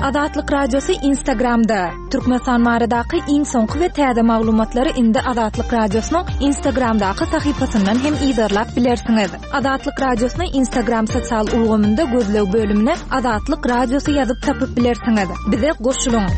Azatlyk Radiosy Instagramda! Türkmenistan baradaky iň soňky we täze maglumatlary indi Azatlyk Radiosynyň Instagramdaky sahypasyndan hem yzarlap bilersiňiz. Azatlyk Radiosyny Instagram sosial ulgamynda gözleg bölümine Azatlyk Radiosy ýazyp tapyp bilersiňiz. Bize goşulyň!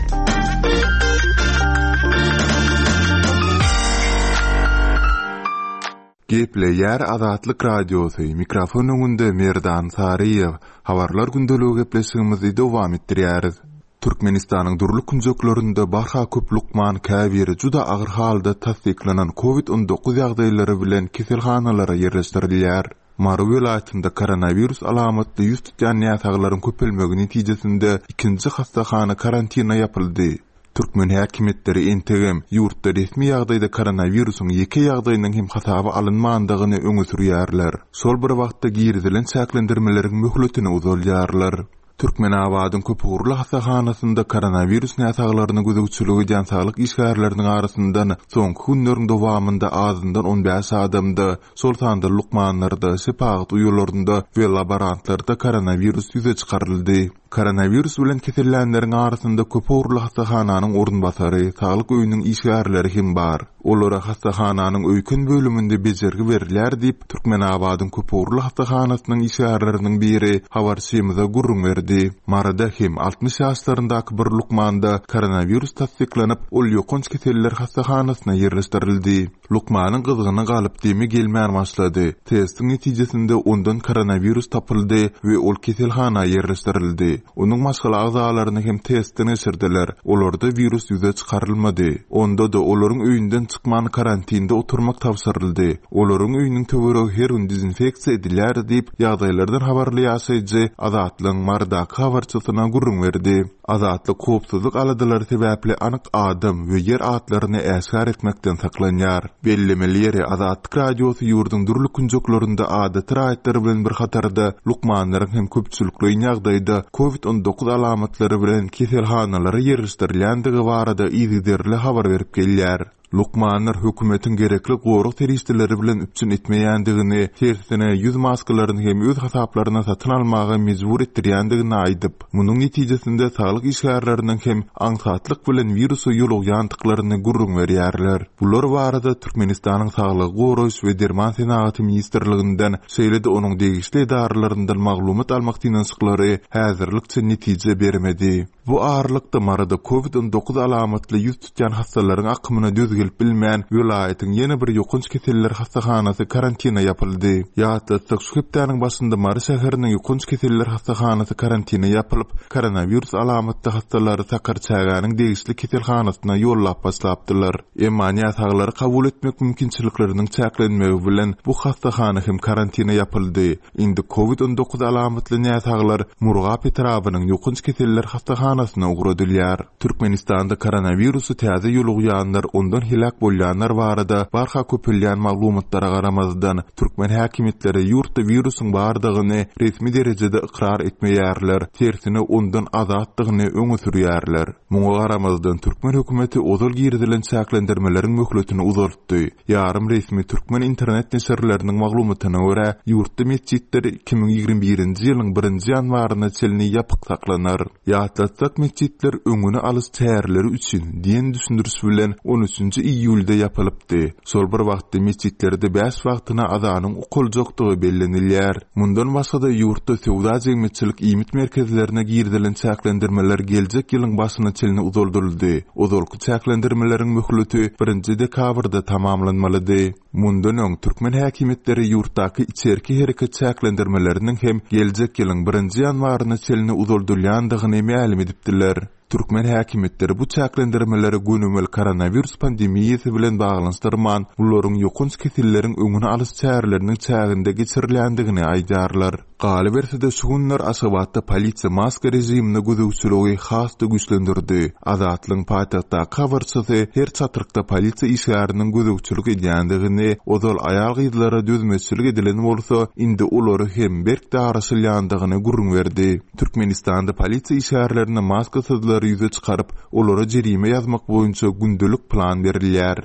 Gepleýär Azatlyk Radiosy, mikrofon öňünde Merdan Saryýew. Habarlar gündeligi gepleşigimizi dowam etdirýäris. Türkmenistanyň dürli künjeklerinde barha köp lukman käbiri juda agyr halda tassyklanan Covid 19 ýagdaýlary bilen keselhanalara ýerleşdirilýär. Mary welaýatynda koronawirus alamatly ýüz tutýan näsaglaryň köpelmegi netijesinde ikinji hassahana karantina ýapyldy. Türkmen häkimiýetleri entegem ýurtda resmi ýagdaýda koronawirusyň ýeke ýagdaýynyň hem hasaba alynmandygyny öňe sürýärler. Şol bir wagtda girizilen çäklendirmeleriň möhletini uzaldýarlar. Türkmenabadyň köpugurly hassahanasynda koronawirus näsaglaryna gözegçilik edýän saglyk işgärleriniň arasyndan soňky günleriň dowamynda azyndan 15 adamda, şol sanda lukmanlarda, şepagat uýalarynda we laborantlarda koronawirus ýüze çykaryldy. Koronawirus bilen kesellänleriň arasynda köpugurly hassahananyň orunbasary, saglyk öýüniň işgärleri hem bar. Olara hassahananyň öýken bölüminde bejergi berilýär diýip, Türkmenabadyň köpugurly hassahanasynyň işgärleriniň biri habarçymyza gürrüň berdi. Maryda hem 60 ýaşlaryndaky bir lukmanda koronawirus tassyklanyp, ol ýokanç keseller hassahanasyna ýerleşdirildi. Lukmanyň gyzgyny galyp, demi gelmän başlady. Testiň netijesinde ondan koronawirus tapyldy we ol keselhana ýerleşdirildi. Onuň maşgala agzalaryny hem testden geçirdiler. Olarda wirus ýüze çykarylmady. Onda-da olaryň öýünden çykman karantinde oturmak tabşyryldy. Olaryň öýüniň töweregi her gün dezinfeksiýa edilýär diýip, ýagdaýlardan habarly ýaşaýjy Azatlygyň Marydaky habarçysyna gürrüň berdi. Azatlyk howpsuzlyk aladalary sebäpli anyk adam we ýer atlaryny äşgär etmekden saklanýar. Bellemeli ýeri, Azatlyk Radiosy ýurduň dürli künjeklerinde adaty raýatlar bilen bir hatarda lukmanlaryň hem köpçülikleýin ýagdaýda Covid 19 alamatlary bilen keselhanalara ýerleşdirilýändigi barada yzygiderli habar berip gelýär. Lukmanlar hökümetiň gerekli gorag serişdeleri bilen üpjün etmeýändigini, tersine, ýüz maskalaryny hem öz hasaplaryna satyn almaga mejbur etdirýändigini aýdyp, munuň netijesinde saglyk işgärleriniň hem aňsatlyk bilen wirusa ýolugýandyklaryny gürrüň berýärler. Bular barada Türkmenistanyň Saglygy goraýyş we derman senagaty ministrliginden, şeýle-de onuň degişli edaralaryndan maglumat almak synanyşyklary häzirlikçe netije bermedi. Bu aralykda, Maryda Covid 19 alamatly ýüz tutýan hassalaryň akymyna döz gelip bilmän, welaýatyň ýene bir ýokanç keseller hassahanasy karantina ýapyldy. Ýatlatsak, şu hepdäniň başynda Mary şäheriniň ýokanç keseller hassahanasy karantina ýapylyp, koronawirus alamatly hassalary Sakarçägäniň degişli keselhanasyna ýollap başlapdylar. Emma näsaglary kabul etmek mümkinçilikleriniň çäklenmegi bilen, bu hassahana hem karantina ýapyldy. Indi Covid 19 alamatly näsaglar Murgap etrabynyň ýokanç keseller hassahanasyna ugradylýar. Türkmenistanda koronawirusy täze ýolugýanlar, ondan heläk bolýanlar barada barha köpelýän maglumatlara garamazdan, türkmen häkimiýetleri ýurtda wirusyň bardygyny resmi derejede ykrar etmeýärler, tersine ondan azatdygyny öňe sürýärler. Muňa garamazdan, türkmen hökümeti ozal girizilen çäklendirmeleriň möhletini uzaltdy. Ýarym resmi türkmen internet neşirleriniň maglumatyna görä, ýurtda metjitler 2021-nji ýylyň birinji ýanwaryna çenli ýapyk saklanar. Ýatlatsak, metjitler öňüni alyş çäreleri üçin diýen düşündiriş bilen on üçünji iýulda ýapylypdy. Şol bir wagtda metjitlerde bäş wagtyna azanyň okaljakdygy bellenilýär. Mundan başga-da, ýurtda söwda-jemgyýetçilik iýmit merkezlerine girizilen çäklendirmeler geljek ýylyň başyna çenli uzaldyldy. Ozalky Çäklendirmeleriň möhleti birinji dekabrda tamamlanmalydy. Mundan öň, türkmen häkimiýetleri ýurtdaky içerki hereket çäklendirmeleriniň hem geljek ýylyň birinji ýanwaryna çenli uzaldylýandygyny mälim edipdiler. Türkmen häkimiýetleri bu çäklendirmeleri gönümel koronawirus pandemiýasy bilen baglanyşdyrman, bularyň ýokanç keselleriň öňüni alyş çäreleriniň çäginde geçirilýändigini aýdýarlar. Galyberse-de, şu günler Aşgabatda polisiýa maska režimine gözegçiligi has-da güýçlendirdi. Azatlygyň paýtagtdaky habarçysy her çatrykda polisiýa işgäriniň gözegçilik edýändigini, ozal aýal-gyzlara dözmezçilik edilen bolsa, indi olary hem berk daraşylýandygyny gürrüň berdi. Türkmenistanda polisiýa işgärlerine maskasyzlary ýüze çykaryp, olara jerime ýazmak boýunça gündelik plan berilýär.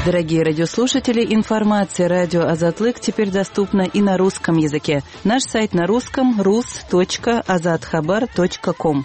Дорогие радиослушатели, информация радио Азатлык теперь доступна и на русском языке. Наш сайт на русском rus.azathabar.com.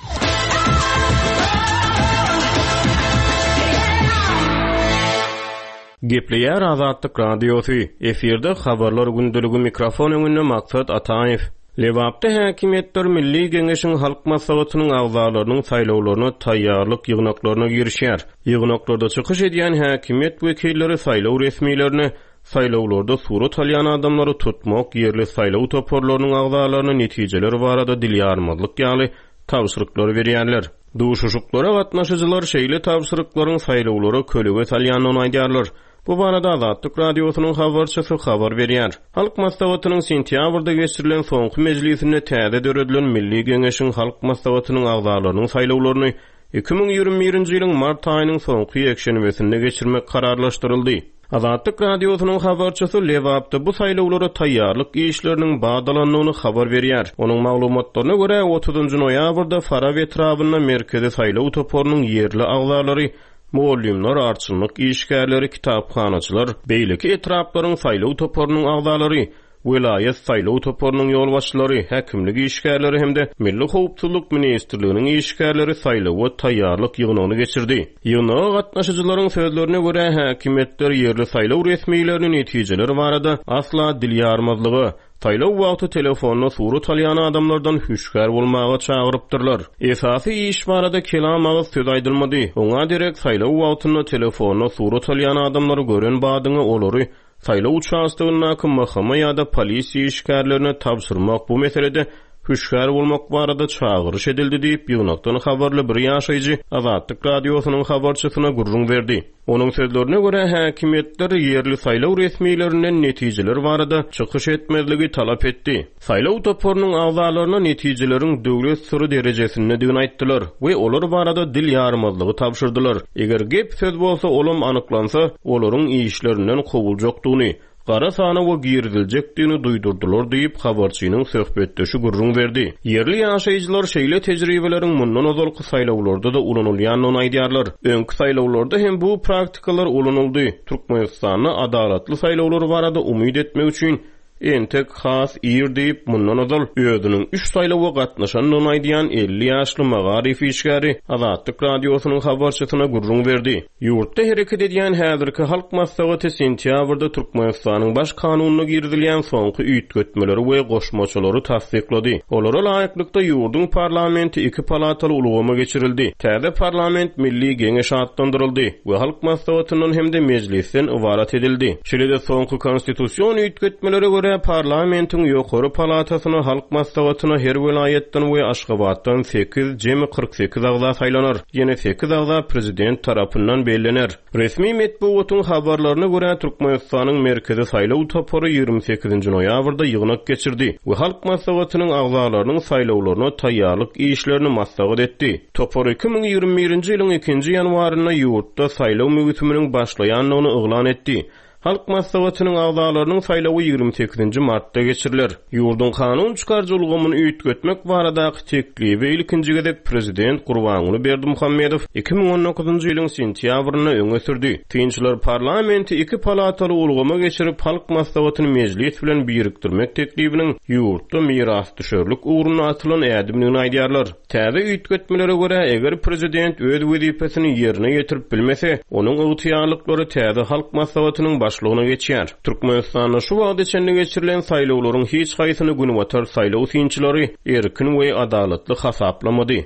Gepleýär Azatlyk Radiosy, efirde Habarlar gündeligi mikrofon öňünde Maksat Ataýew. Lebapda häkimiýetler Milli Geňeşiň Halk Maslahatynyň agzalarynyň saýlawlaryna taýýarlyk ýygnaklaryna girişýär. Ýygnaklarda çykyş edýän häkimiýet wekilleri saýlaw resmilerine saýlawlarda surat alýan adamlary tutmak, ýerli saýlaw toparlarynyň agzalaryna netijeler barada dil ýarmazlyk ýaly tabşyryklary berýärler. Duşuşyklara gatnaşyjylar şeýle tabşyryklaryň saýlawlara kölege salýandygyny aýdýarlar. Bu barada Azatlyk Radiosynyň habarçysy habar berýär. Halk Maslahatynyň sentýabrda geçirilen soňky mejlisinde täze döredilen Milli Geňeşiň Halk Maslahatynyň agzalarynyň saýlawlaryny 2021-nji ýylyň mart aýynyň soňky ýekşenbesinde geçirmek kararlaşdyryldy. Azatlyk Radiosynyň habarçysy Lebapda bu saýlawlara taýýarlyk işleriniň bat alandygyny habar berýär. Onuň maglumatlaryna görä, otuzynjy noýabrda Farap etrabynda Merkezi saýlaw toparynyň ýerli agzalary mugallymlar, arçynlyk işgärleri, kitaphanaçylar, beýleki etraplaryň saýlaw toparynyň agzalary, welaýat saýlaw toparynyň ýolbaşçylary, häkimlik işgärleri hem-de Milli howpsuzlyk ministrliginiň işgärleri saýlawa taýýarlyk ýygnagyny geçirdi. Ýygnaga gatnaşyjylaryň sözlerine görä, häkimiýetler ýerli saýlaw resmilerini netijeler barada asla dil ýarmazlyga, Saýlaw wagty telefonda surat alýan adamlardan hüşgär bolmaga çagyrypdyrlar. Esasy iş barada kelam agyz söz aýdylmady. Oňa derek saýlaw wagtynda telefonda surat alýan adamlary gören badyňa olary saýlaw uçastogyndaky MHM ýa-da polisiýa işgärlerine tabşyrmak bu meselede hüşgär bolmak barada çagyryş edildi diýip, ýygnakdan habarly bir ýaşaýjy Azatlyk Radiosynyň habarçysyna gürrüň berdi. Onuň sözlerine görä, häkimiýetler ýerli saýlaw resmilerinden netijeler barada çykyş etmezligi talap etdi. Saýlaw toparynyň agzalaryna netijeleriň döwlet syry derejesindedigini aýtdylar we olar barada dil ýarmazlygy tabşyrdylar. Eger gep-söz bolsa, olam anyklansa, olaryň işlerinden kowuljakdygyny, gara sanawa giriziljekdigini duýdurdylar diýip, habarçynyň söhbetdeşi gürrüň berdi. Ýerli ýaşaýjylar şeýle tejribeleriň mundan ozalky saýlawlarda-da ulanylýandygyny aýdýarlar. Öňki saýlawlarda hem bu praktikalar ulanyldy. Türkmenistanda adalatly saýlawlar barada umyt etmek üçin entek has ir diýip, mundan ozal özüniň üç saýlawa gatnaşandygyny aýdýan 50 ýaşly magaryf işgäri Azatlyk Radiosynyň habarçysyna gürrüň berdi. Ýurtda hereket edýän häzirki Halk Maslahaty sentýabrda Türkmenistanyň Baş Kanunyna girizilýän soňky üýtgetmeleri we goşmaçalary tassyklady. Olara laýyklykda, ýurduň parlamenti iki palataly ulgama geçirildi. Täze parlament Milli Geňeş atlandyryldy we Halk Maslahatyndan hem-de Mejlisden ybarat edildi. Şeýle-de soňky konstitusion üýtgetmelere görä, parlamentiň ýokary palatasyna Halk Maslahatyna her welaýatdan we Aşgabatdan sekiz, jemi 48 agza saýlanar. Ýene sekiz agza prezident tarapyndan bellener. Resmi metbugatyň habarlaryna görä, Türkmenistanyň Merkezi saýlaw topary 28-nji noýabrda ýygnak geçirdi we Halk Maslahatynyň agzalarynyň saýlawlaryna taýýarlyk işlerini maslahat etdi. Topar 2021-nji ýylyň ikinji ýanwarynda ýurtda saýlaw möwsüminiň başlaýandygyny yglan etdi. Halk Maslahatynyň agzalarynyň saýlawy 28-nji martda geçiriler. Ýurduň kanun çykaryjy ulgamyny üýtgetmek baradaky teklibi ilkinji gezek prezident Gurbanguly Berdimuhamedow 2019-njy ýylyň sentýabrynda öňe sürdi. Synçylar parlamenti iki palataly ulgama geçirip, Halk Maslahatyny Mejlis bilen birikdirmek teklibiniň ýurtda mirasdüşerlik ugrunda atylan ädimdigini aýdýarlar. Täze üýtgetmelere görä, eger prezident öz wezipesini ýerine ýetirip bilmese, onuň ygtyýarlyklary täze Halk Maslahatynyň başlygyna geçýär. Türkmenistanda şu wagta çenli geçirilen saýlawlaryň hiç haýsyny günbatar saýlaw synçylary erkin we adalatly hasaplamady.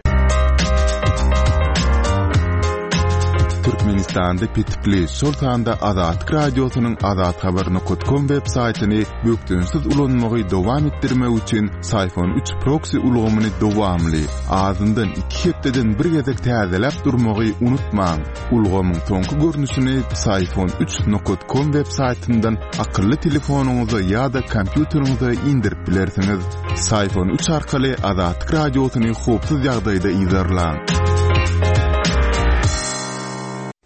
Türkmenistanda petikli, şol sanda Azatlyk Radiosynyň azathabar nokat kom web saýtyny bökdençsiz ulanmagy dowam etdirmek üçin Syphon 3 proksi ulgamyny dowamly, azyndan iki hepdeden bir gezek täzeläp durmagy unutmaň. Ulgamyň soňky görnüşini Syphon 3 nokat kom web saýtyndan akylly telefonyňyza ýa-da kompýuteriňize indirip bilersiňiz. Syphon 3 arkaly Azatlyk Radiosyny howpsuz ýagdaýda yzarlaň.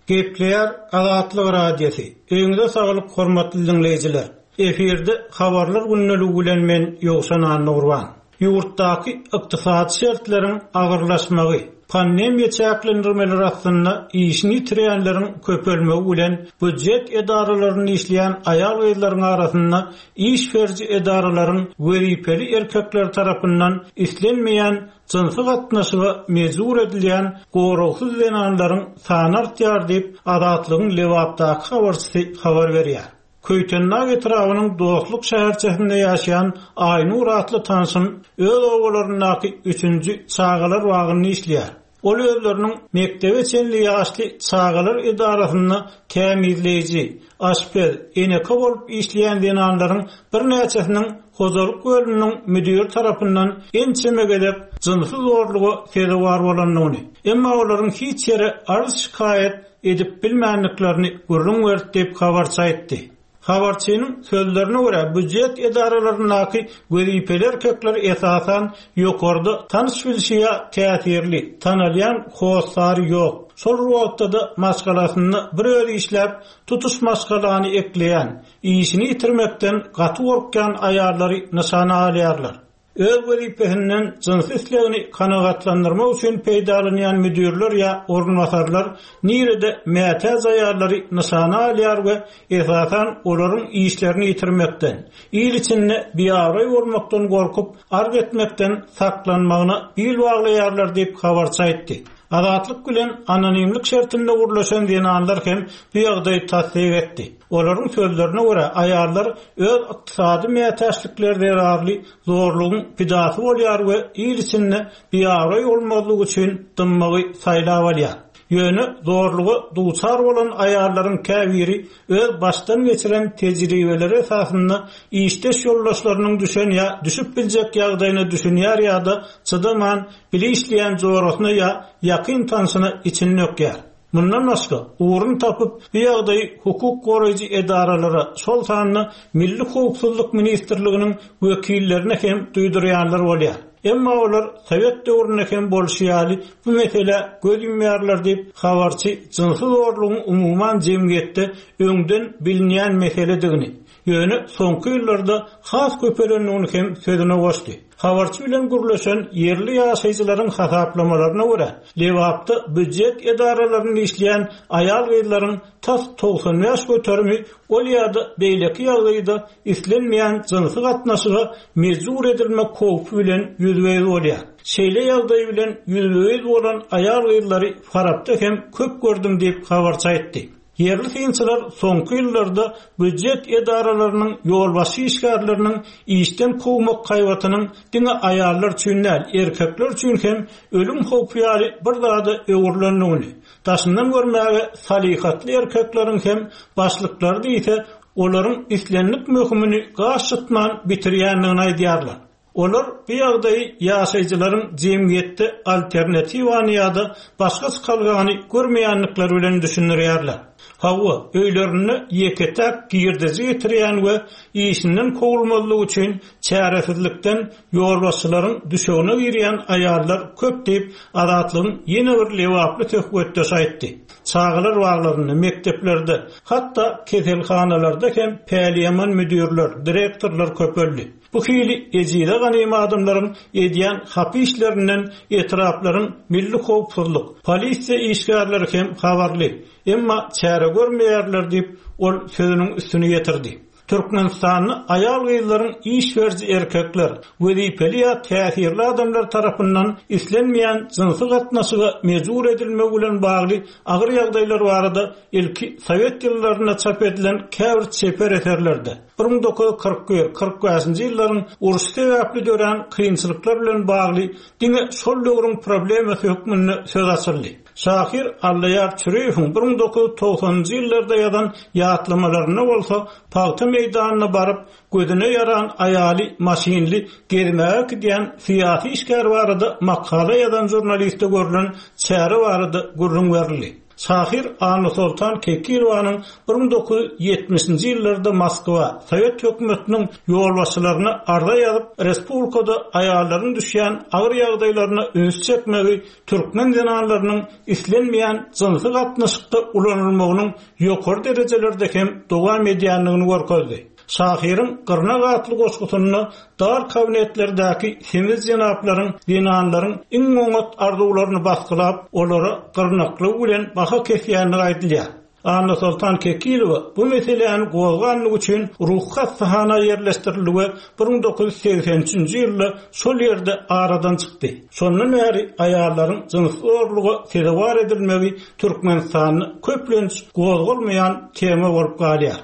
Gepleýär Azatlyk Radiosy. Öýüňize saglyk hormatly diňleýjiler. Efirde Habarlar gündeligi bilen men Ýowşan Annagurban. Ýurtdaky ykdysady şertleriň agyrlaşmagy, Pandemiýa çäklendirmeleri astynda işini ýitirýänleriň köpelmegi bilen býujet edaralarynda işleýän aýal-gyzlaryň arasynda iş beriji edaralaryň wezipeli erkekleri tarapyndan islenmeýän jynsy gatnaşyga mejbur edilýän goragsyz zenanlaryň sany artýar diýip, Azatlygyň Lebapdaky habarçysy habar berýär. Köýtendag etrabynyň Dostluk şäherçesinde ýaşaýan Aýnur atly tanşym öz obalaryndaky üçünji çagalar bagynda işleýär. Ol özleriniň mekdebe çenli ýaşly çagalar edarasynda tämizleýji, aşpez, eneke bolup işleýän zenanlaryň birnäçesiniň hojalyk bölüminiň müdiri tarapyndan ençeme gezek jynsy zorluga sezewar bolandygyny, emma olaryň hiç ýere arz-şikaýat edip bilmändiklerini gürrüň berdi diýip, habarçy aýtdy. Habarçynyň sözlerine görä, býujet edaralaryndaky wezipeli erkekler esasan ýokarda tanyş-bilşi ýa täsirli, tanalýan hossary ýok, şol bir wagtda-da maşgalasynda bir özi işläp, tutuş maşgalany ekleýän, işini ýitirmekden gaty gorkýan aýallary nyşana alýarlar. Öz wezipesinden jynsy islegini kanagatlandyrmak üçin peýdalanýan müdirler ýa orunbasarlar nirede mätäç aýallary nyşana alýar we esasan olaryň işlerini ýitirmekden, il içinde biabraý bolmakdan gorkup, arz etmekden saklanmagyna bil baglaýarlar diýip, habarçy aýtdy. Azatlyk bilen anonimlik şertinde gürleşen zenanlar hem bu ýagdaýy tassyk etdi. Olaryň sözlerine görä, aýallar öz ykdysady mätäçlikleri zerarly zorlugyň pidasy bolýar we il içinde biabraý bolmazlyk üçin dymmagy saýlap alýar. Ýöne zorluga duçar bolan aýallaryň käbiri öz başdan geçiren tejribeleri esasynda işdeş ýoldaşlarynyň düşen ýa düşüp biljek ýagdaýyna düşünýär ýa-da çydaman bile işleýän jorasyna ýa ýakyn tanşyna içini dökýär. Mundan başga, ugruny tapyp, bu ýagdaýy hukuk goraýjy edaralara, şol sanda Milli howpsuzlyk ministrliginiň wekillerine hem duýdurýanlar bolýar. Emma olar sowet döwründe hem bolşy ýaly bu meselä göz ýumýarlar diýip, habarçy jynsy zorlugyň umuman jemgyýetde öňden bilinýän meseledigini, ýöne soňky ýyllarda has köpelendigini hem sözüne goşdy. Habarçy bilen gürleşen ýerli ýaşaýjylaryň hasaplamalaryna görä, Lebapda býujet edaralarynda işleýän aýal-gyzlaryň tas 95 göterimi ol ýa-da beýleki ýagdaýda islenmeýän jynsy gatnaşyga mejbur edilmek howpy bilen ýüzbe-ýüz bolýar. Şeýle ýagdaý bilen ýüzbe-ýüz bolan aýal-gyzlary Farapda hem köp gördüm diýip, habarçy aýtdy. Ýerli synçylar soňky ýyllarda býujet edaralarynyň ýolbaşçy işgärleriniň işden kowmak haýbatynyň diňe aýallar üçin däl, erkekler üçin hem ölüm howpy ýaly bir zada öwrülendigini, daşyndan görmäge salyhatly erkekleriň hem başlyklary diýse, olaryň islendik möhümini gaş çytman bitirýändigini aýdýarlar. Olar bu ýagdaýy ýaşaýjylaryň jemgyýetde alternatiwany ýa-da başga çykalgany görmeýändikleri bilen düşündirýärler. Hawa, öýlerinde ýeke-täk girdeji getirýän we işinden kowulmazlyk üçin çäresizlikden ýolbaşçylaryň düşegine girýän aýallar köp diýip, Azatlygyň ýene bir lebaply söhbetdeşi aýtdy. Çagalar baglarynda, mekdeplerde, hatda keselhanalarda hem päliýaman müdirler, direktorlar köpeldi. Bu hili ejize ganym adamlaryň edýän hapa işlerinden etraplaryň milli howpsuzlyk, polisiýa işgärleri hem habarly, emma çäre görmeýärler diýip, ol sözüniň üstüni ýetirdi. Türkmenistanda aýal-gyzlaryň iş beriji erkekler, wezipeli ýa täsirli adamlar tarapyndan islenmeýän jynsy gatnaşyga mejbur edilmegi bilen bagly agyr ýagdaýlar barada ilki sowet ýyllarynda çap edilen käbir çeper eserlerde, 1941, 45-nji ýyllaryň urşy sebäpli dörän kynçylyklar bilen bagly diňe şol döwrüň problemasy hökmünde söz açyldy. Şahyr Allaýar Çüriýewiň 1990-njy ýyllarda ýazan ýatlamalarynda bolsa pagta meýdanyna baryp, gözüne ýaran aýaly maşynly gezmäge äkidýän syýasy işgär barada makala ýazan žurnaliste görlen çäre barada gürrüň berildi. Şahyr Annasoltan Kekilowanyň 1970-nji ýyllarda Moskwa, sowet hökümetiniň ýolbaşçylaryna arza ýazyp, respublikada aýallaryň düşýän agyr ýagdaýlaryna üns çekmegi türkmen zenanlarynyň islenmeýän jynsy gatnaşykda ulanylmagynyň ýokary derejelerde hem dowam edýändigini görkezdi. Şahyryň Gyrnak atly goşgusynda dar kabinetlerdäki semiz jenaplaryň zenanlaryň iň oňat arzuwlaryny basgylap, olara gyrnaklygy bilen baha kesýändigi aýdylýar. Annasoltan Kekilowa bu meseläni gozganlygy üçin ruhy hassahana ýerleşdirildi we 1983-nji ýylda şol ýerde aradan çykdy. Şondan bäri aýallaryň jynsy zorluga sezewar edilmegi Türkmenistanda köplenç gozgalmaýan tema bolup galýar.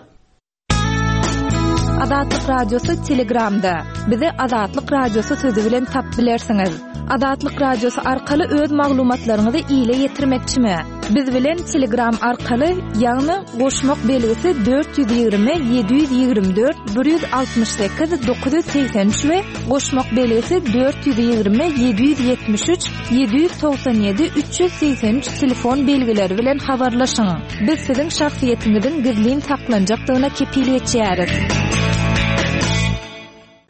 Azatlyk Radiosy Telegramda. Bizi Azatlyk Radiosy sözi bilen tapyp bilersiňiz. Azatlyk Radiosy arkaly öz maglumatlaryňyzy ile ýetirmekçimi? Biz bilen Telegram arkaly, ýagny goşmak belgisi 420 724 168 983 we goşmak belgisi 420 773 797 383 telefon belgileri bilen habarlaşyň. Biz siziň şahsyýetiňiziň gizlin saklanjakdygyna kepil geçýäris.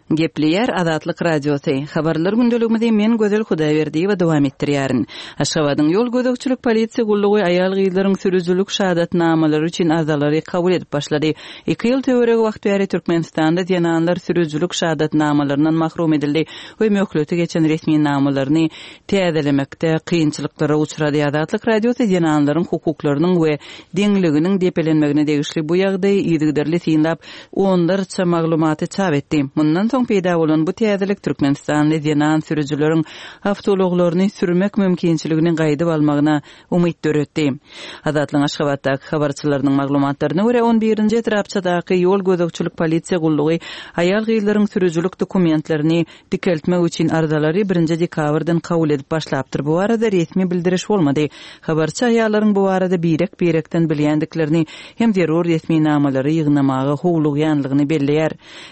Gepleýär Azatlyk Radiosy. Habarlar gündeligimizi men Gözel Hudaýberdiýewa dowam etdirýärin. Aşgabadyň ýol gözegçilik polisiýa gullugy aýal-gyzlaryň sürüjilik şahadatnamalary üçin arzalary kabul edip başlady. Iki ýyl töweregi wagt bäri Türkmenistanda zenanlar sürüjilik şahadatnamalaryndan mahrum edildi we möhleti geçen resminamalaryny täzelemekde kynçylyklara uçrady. Azatlyk Radiosy zenanlaryň hukuklarynyň we deňliginiň depelenmegine degişli bu ýagdaýy yzygiderli synlap, onlarça maglumaty çap etdi. Mundan soň peýda bolan bu täzelik türkmenistanly zenan sürüjileriň awtoulaglaryny sürmek mümkinçiligini gaýdyp almagyna umyt döretdi. Azatlygyň Aşgabatdaky habarçylarynyň maglumatlaryna görä, on birinji etrapçadaky ýol gözegçilik polisiýa gullugy aýal-gyzlaryň sürüjilik dokumentlerini dikeltmek üçin arzalary birinji dekabrdan kabul edip başlapdyr. Bu barada resmi bildiriş bolmady. Habarçy aýallaryň bu barada birek-birekden bilýändiklerini hem zerur resminamalary ýygnamaga howlugýanlygyny belleýär.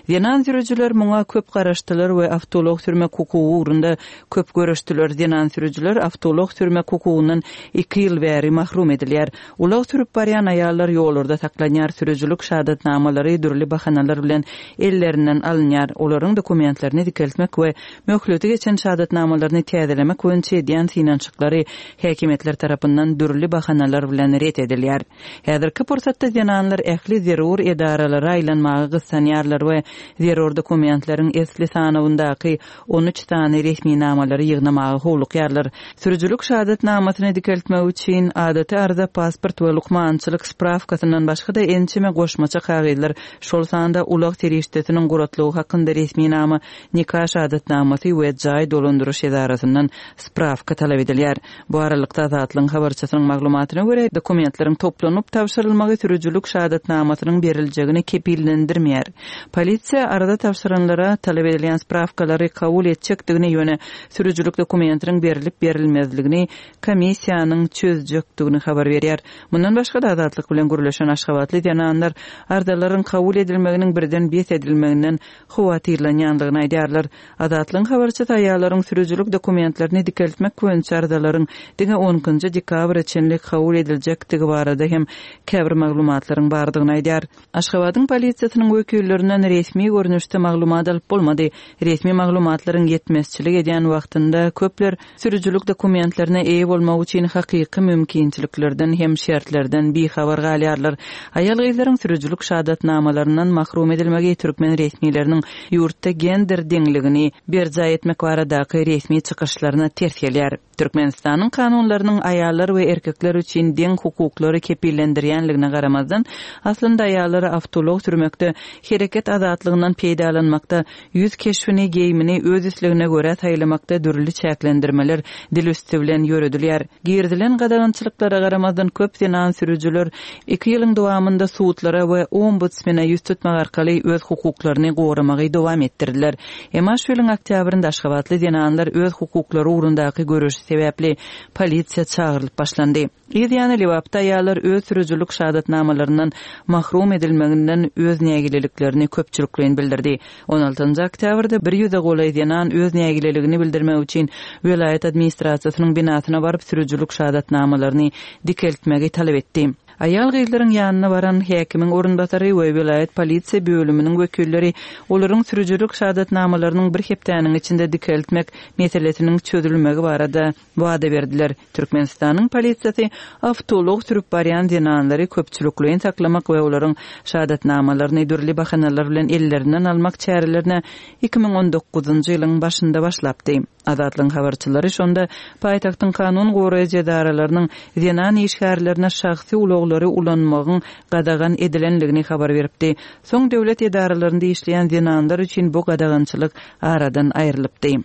Zenan sürüjiler muňa köp garaşdylar we awtoulag sürmek hukugy ugrunda köp göreşdiler. Zenan sürüjiler awtoulag sürmek hukugyndan iki ýyl bäri mahrum edilýär. Ulag sürüp barýan aýallar ýollarda saklanýar, sürüjilik şahadatnamalary dürli bahanalar bilen ellerinden alynýar. Olaryň dokumentlerini dikeltmek we möhleti geçen şahadatnamalaryny täzelemek boýunça edýän synanyşyklary häkimiýetler tarapyndan dürli bahanalar bilen ret edilýär. Häzirki pursatda zenanlar ähli zerur edaralara aýlanmaga gyssanýarlar we zerur dokumentleriň esli sanawyndaky 13 sany resminamalary ýygnamaga howlukýarlar. Sürüjilik şahadatnamasyny dikeltmek üçin adaty arza, pasport we lukmançylyk sprawkasyndan başga-da ençeme goşmaça kagyzlar, şol sanda ulag serişdesiniň guratlygy hakynda resminama, nika şahadatnamasy we jaý dolandyryş edarasyndan sprawka talap edilýär. Bu aralykda, Azatlygyň habarçysynyň maglumatyna görä, dokumentleriň toplanyp tabşyrylmagy sürüjilik şahadatnamasynyň beriljegini kepillendirmeýär. Polisiýa arza tabşyranlara talap edilýän sprawkalary kabul etjekdigini, ýöne sürüjilik dokumentiniň berlip-berilmezligini komissiýanyň çözjekdigini habar berýär. Mundan başga-da, Azatlyk bilen gürleşen aşgabatly zenanlar arzalaryň kabul edilmeginiň birden bes edilmeginden howatyrlanýandygyny aýdýarlar. Azatlygyň habarçysy aýallaryň sürüjilik dokumentlerini dikeltmek boýunça arzalaryň diňe on ikinji dekabra çenli kabul ediljekdigi barada hem käbir maglumatlaryň bardygyny aýdýar. Aşgabadyň polisiýasynyň wekillerinden resmi görnüşde maglumat alyp bolmady. Resmi maglumatlaryň ýetmezçilik edýän wagtynda köpler Sürüjilik dokumentlerine eýe bolmak üçin hakyky mümkinçiliklerden hem şertlerden bihabar galýarlar. Aýal-gyzlaryň sürüjilik şahadatnamalaryndan mahrum edilmegi türkmen resmileriniň ýurtda gender deňligini berjaý etmek baradaky resmi çykyşlaryna ters gelýär. Türkmenistanyň kanunlarynyň aýallar we erkekler üçin deň hukuklary kepillendirýänligine garamazdan, aslynda aýallara awtoulag sürmekde, hereket azatlygyndan peýdalanmakda Ýüz keşbini, geýimini öz islegine görä saýlamakda dürli çäklendirmeler dil üsti bilen ýöredilýär. Girizilen gadagançylyklara garamazdan köp zenan sürüjiler iki ýylyň dowamynda sudlara we ombudsmene ýüz tutmak arkaly öz hukuklaryny goramagy dowam etdirdiler. Emma şu ýylyň oktýabrynda aşgabatly zenanlar öz hukuklary ugrundaky göreşi sebäpli polisiýa çagyrylyp başlandy. Yz ýany Lebapda aýallar öz sürüjilik şahadatnamalaryndan mahrum edilmeginden öz nägileliklerini köpçülikleýin bildirdi. On altynjy oktýabrda bir ýüze golaý zenan öz nägileligini bildirmek üçin welaýat administrasiýasynyň binasyna baryp sürüjilik şahadatnamalaryny dikeltmegi talap etdi. Aýal-gyzlaryň ýanyna baran häkimiň orunbasary we welaýat polisiýa bölüminiň wekilleri olaryň sürüjilik şahadatnamalarynyň bir hepdäniň içinde dikeltmek meselesiniň çözülmegi barada wada berdiler. Türkmenistanyň polisiýasy awtoulag sürüp barýan zenanlary köpçülikleýin saklamak we olaryň şahadatnamalaryny dürli bahanalar bilen ellerinden almak çärelerine 2019-njy ýylyň başynda başlapdy. Azatlygyň habarçylary şonda paýtagtyň kanun goraýjy edaralarynyň zenan işgärlerine şahsy ulaglary ulanmagyň gadagan edilendigini habar beripdi. Soň döwlet edaralarynda işleýän zenanlar üçin bu gadagançylyk aradan aýrylypdy.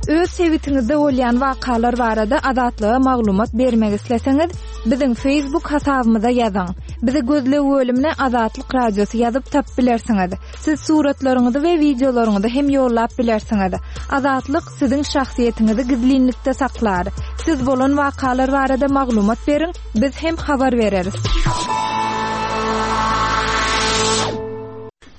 Öz sebitiňizde bolýan wakalar barada Azatlyga maglumat bermek isleseňiz, biziň Facebook hasabymyza ýazyň. Bizi gözleg bölümine Azatlyk Radiosy ýazyp tapyp bilersiňiz. Siz suratlaryňyzy we wideolaryňyzy hem ýollap bilersiňiz. Azatlyk siziň şahsyýetiňizi gizlinlikde saklar. Siz bolan wakalar barada maglumat beriň, biz hem habar bereris.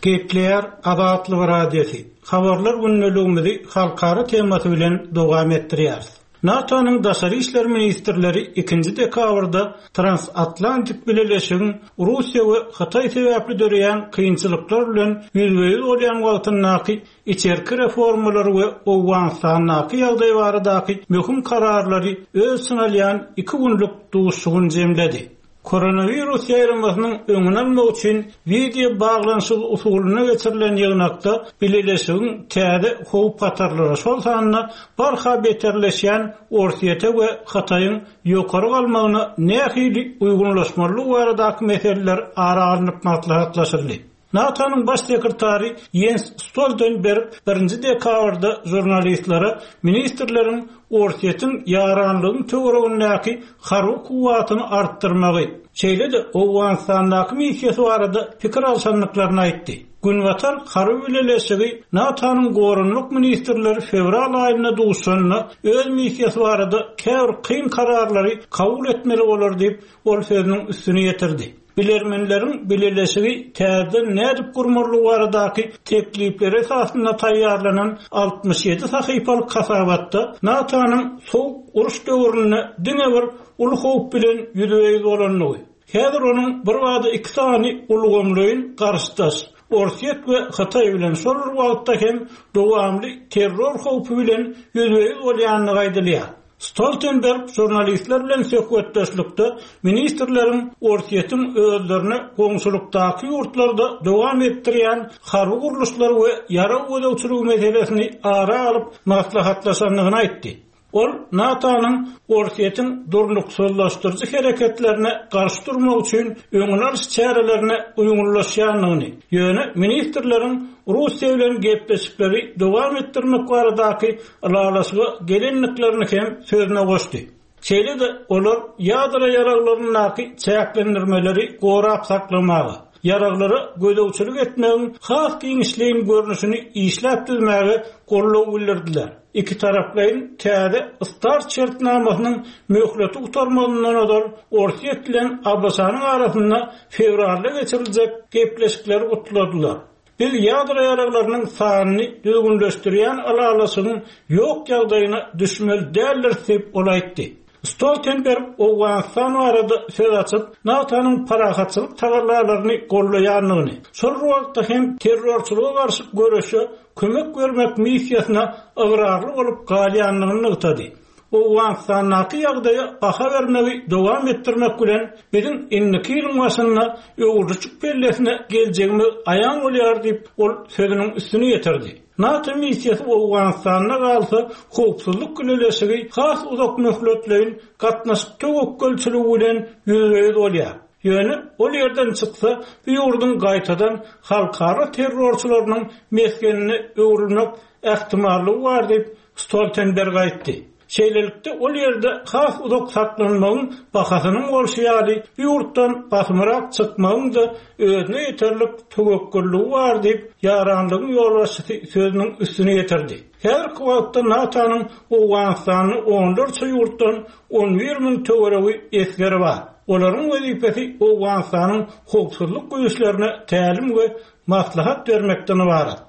Gepleýär Azatlyk Radiosy, Habarlar gündeligimizi halkara temasy bilen dowam etdirýäris. NATO-nyň daşary işler ministrleri ikinji dekabrda Transatlantik bileleşigiň Russiýa we Hytaý sebäpli döreýän kynçylyklar bilen ýüzbe-ýüz bolýan wagtyndaky içerki reformalary we Owganystandaky ýagdaý baradaky möhüm kararlary öz içine alýan iki günlük duşuşygyny jemledi. Koronawirus ýaýramasynyň öňüni almak üçin wideo baglanyşygy usulynda geçirilen ýygnakda bileleşigiň täze howp-hatarlara, şol sanda barha beterleşýän Orsýete we Hytaýyň ýokary galmagyna nähili uýgunlaşmalydygy baradaky meseleler ara alnyp maslahatlaşyldy. NATO-nyň Baş sekretary Ýens Stoltenberg birinji dekabrda žurnalistlere ministrleriň Orsýetiň ýaranlygyň töweregindäki harby kuwwatyny artdyrmagy, şeýle-de Owganystandaky missiýasy barada pikir alşandyklaryny aýtdy. Günbatar harby bileleşigi NATO-nyň goranmak ministrleri fewral aýynda duşanda öz missiýasy barada käbir kyn kararlary kabul etmeli bolar diýip, ol sözüniň üstüni ýetirdi. Bilermenleriň bileleşigi täzeden nädip gurmalydygy baradaky teklipleri esasynda taýýarlanan 67 sahypalyk hasabatda NATO-nyň Sowuk uruş döwründe diňe bir uly howp bilen ýüzbe-ýüz bolandygy, häzir onuň birbada iki sany ulgamlaýyn garşydaş, Orsýet we Hytaý bilen şol bir wagtda hem dowamly terror howpy bilen ýüzbe-ýüz bolýandygy aýdylýar. Stoltenberg žurnalistler bilen söhbetdeşlikde ministrleriň Orsýetiň özlerine goňşulykdaky ýurtlarda dowam etdirýän harby gurluşlar we ýarag gözegçiligi meselesini ara alyp maslahatlaşandygyny aýtdy. Ol NATO-nyň Orsýetiň durnuksyzlaşdyryjy hereketlerine garşy durmak üçin öňüni alyş çärelerine uýgunlaşýandygyny, ýöne ministrleriň Russiýa bilen gepleşikleri dowam etdirmek baradaky ylalaşyga gelendiklerini hem sözüne goşdy. Şeýle-de olar ýadro ýaraglaryndaky çäklendirmeleri gorap saklamaga, ýaraglara gözegçilik etmegiň has giňişleýin görnüşini işläp düzmäge goldaw bildirdiler. Ikitaraplaýyn täze START şertnamasynyň möhleti gutarmazyndan ozal Orsýet bilen ABŞ-nyň arasynda fewralda geçiriljek gepleşikleri gutladylar. Biz ýadro ýaraglarynyň sanyny düzgünleşdirýän ylalaşygyň ýok ýagdaýyna düşmeli däldiris diýip, ol aýtdy. Stoltenberg Owganystan barada söz açyp, NATO-nyň parahatçylyk tagallalaryny goldaýandygyny, şol bir wagtda hem terrorçylyga garşy göreşe kömek bermek missiýasyna ygrarly bolup galýandygyny nygtady. Owganystandaky ýagdaýa baha bermegi dowam etdirmek bilen, biziň indiki ýylyň başynda öwrülişik pellesine geljegimiz aýan bolýar diýip, ol sözüniň üstüni ýetirdi. NATO missiýasy Owganystanda galsa, howpsuzlyk bileleşigi has uzak möhletleýin gatnaşyk töwekgelçiligi bilen ýüzbe-ýüz bolýar. Ýöne ol ýerden çyksa, bu ýurduň gaýtadan halkara terrorçylarynyň mesgenine öwrülmek ähtimallygy bar diýip, Stoltenberg aýtdy. Şeýlelikde, ol ýerde has uzak saklanmagyň bahasynyň bolşy ýaly, bu ýurtdan basymrak çykmagyň-da özüne ýeterlik töwekgelligi bar diýip, ýaranlygyň ýolbaşçysy sözüniň üstüni ýetirdi. Häzirki wagtda NATO-nyň Owganystanda onlarça ýurtdan 11 müň töweregi esgeri bar. Olaryň wezipesi Owganystanyň howpsuzlyk güýçlerine tälim we maslahat bermekden ybarat.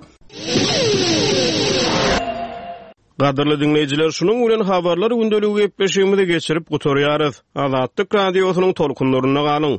Gadyrly diňleýjiler, şunuň bilen Habarlar gündeligi gepleşigimizi geçirip gutarýarys. Azatlyk Radiosynyň tolkunlarynda galyň!